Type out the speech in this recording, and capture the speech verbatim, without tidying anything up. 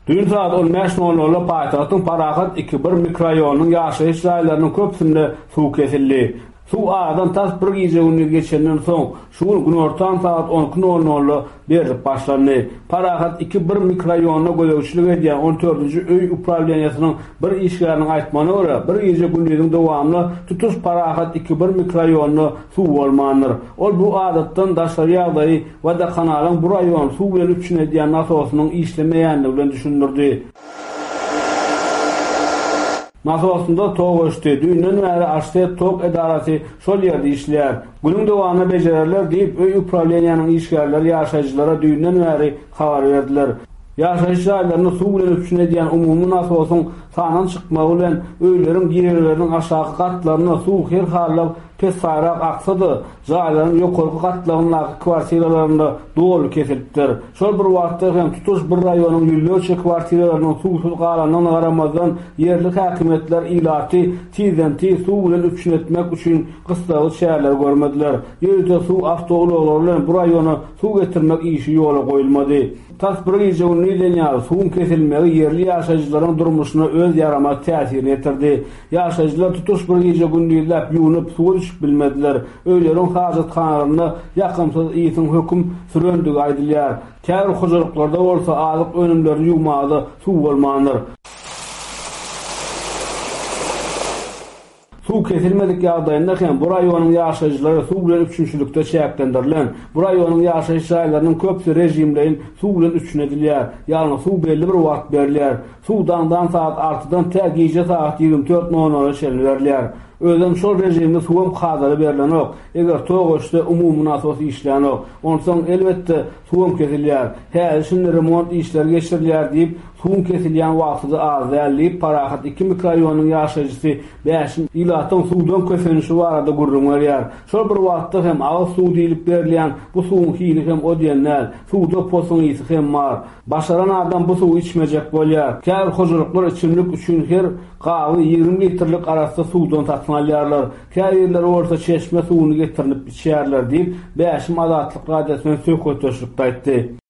Düýn sagat on bäş nol nolda paýtagtyň Parahat iki bir mikroraýonynyň ýaşaýyş jaýlarynyň köpüsinde suw kesildi. Suw aradan tas bir gije-gündiz geçenden soň, şu gün günortan sagat on iki nol nolda berlip başlandy. Parahat iki bir mikroraýonyna gözegçilik edýän on dördünji öý uprawleniýesiniň bir işgäriniň aýtmagyna görä, bir gije-gündiziň dowamynda tutuş Parahat iki bir mikroraýonynda suw bolmandyr. Ol bu adatdan daşary ýagdaýy Wodokanalyň bu raýony suw bilen üpjün edýän nasosynyň işlemeýändigi bilen düşündirdi. Nasosynda tok öçdi. Düýnden bäri Aşset tok edarasy şol ýerde işleýär. Günüň dowamynda bejererler diýip, öý uprawleniýanyň işgärleri ýaşaýjylara düýnden bäri habar berdiler. Ýaşaýyş jaýlaryny suw bilen üpjün edýän umumy nasosyň sandan çykmagy bilen öýleriň girelgeleriniň aşaky gatlarynda suw her halda pessaýrak aksa-da, jaýlaryň ýokarky gatlagyndaky kwartiralarynda doly kesilipdir. Şol bir wagtda hem tutuş bir raýonyň ýüzlerçe kwartiralarynyň suwsuz galandygyna garamazdan, ýerli häkimiýetler ilaty tizden-tiz suw bilen üpjün etmek üçin gyssagly çäreleri görmediler. Ýörite suw awtoulaglary bilen bu raýona suw getirmek işi ýola goýulmady. Tas bir gije gündizden ýaly suwuň kesilmegi ýerli ýaşaýjylaryň durmuşyna öz ýaramaz täsirini ýetirdi. Ýaşaýjylar tutuş bir gije gündizläp ýuwunyp suwa düşüp bilmediler. Öýleriň hajathanalarynda ýakymsyz ýysyň höküm sürendigi aýdylýar. Käbir hojalyklarda bolsa azyk önümlerini ýuwmaga suw bolmandyr. Suw kesilmedik ýagdaýynda hem bu raýonyň ýaşaýjylary suw bilen üpjünçilikde çäklendirilen. Bu raýonyň ýaşaýyş jaýlarynyň köpüsi režimleýin suw bilen üpjün edilýär. Ýagny suw belli bir wagt berilýär. Suw daňdan saat altydan tä gije saat ýigrimi dört nol nola çenli berilýär. Özem şol rejimde suwam kadaly berilenok. Eger tok öçse umumy nasos işlänok. Onsoň elbetde suwam kesilýär. Häzir şimdi remont işleri geçirilýär diýip, suwuň kesilýän wagty-da az däl diýip, Parahat iki mikroraýonyň ýaşaýjysy Bäşim ilatyň suwdan kösenişi barada gürrüň berýär. Şol bir wagtda hem agyz suw diýlip berilýän bu suwuň hili hem o diýen däl. Suwda posuň ysy hem bar. Başaran adam bu suwy içmejek bolýar. Käbir hojalyklar içimlik üçin her gaby ýigrimi litrlik arassa suwdan satyn alýarlar. Käbirleri bolsa çeşme suwuny getirilip içýärler diýip, Bäşim Azatlyk radiosyna söhbetdeşlikde aýtdy.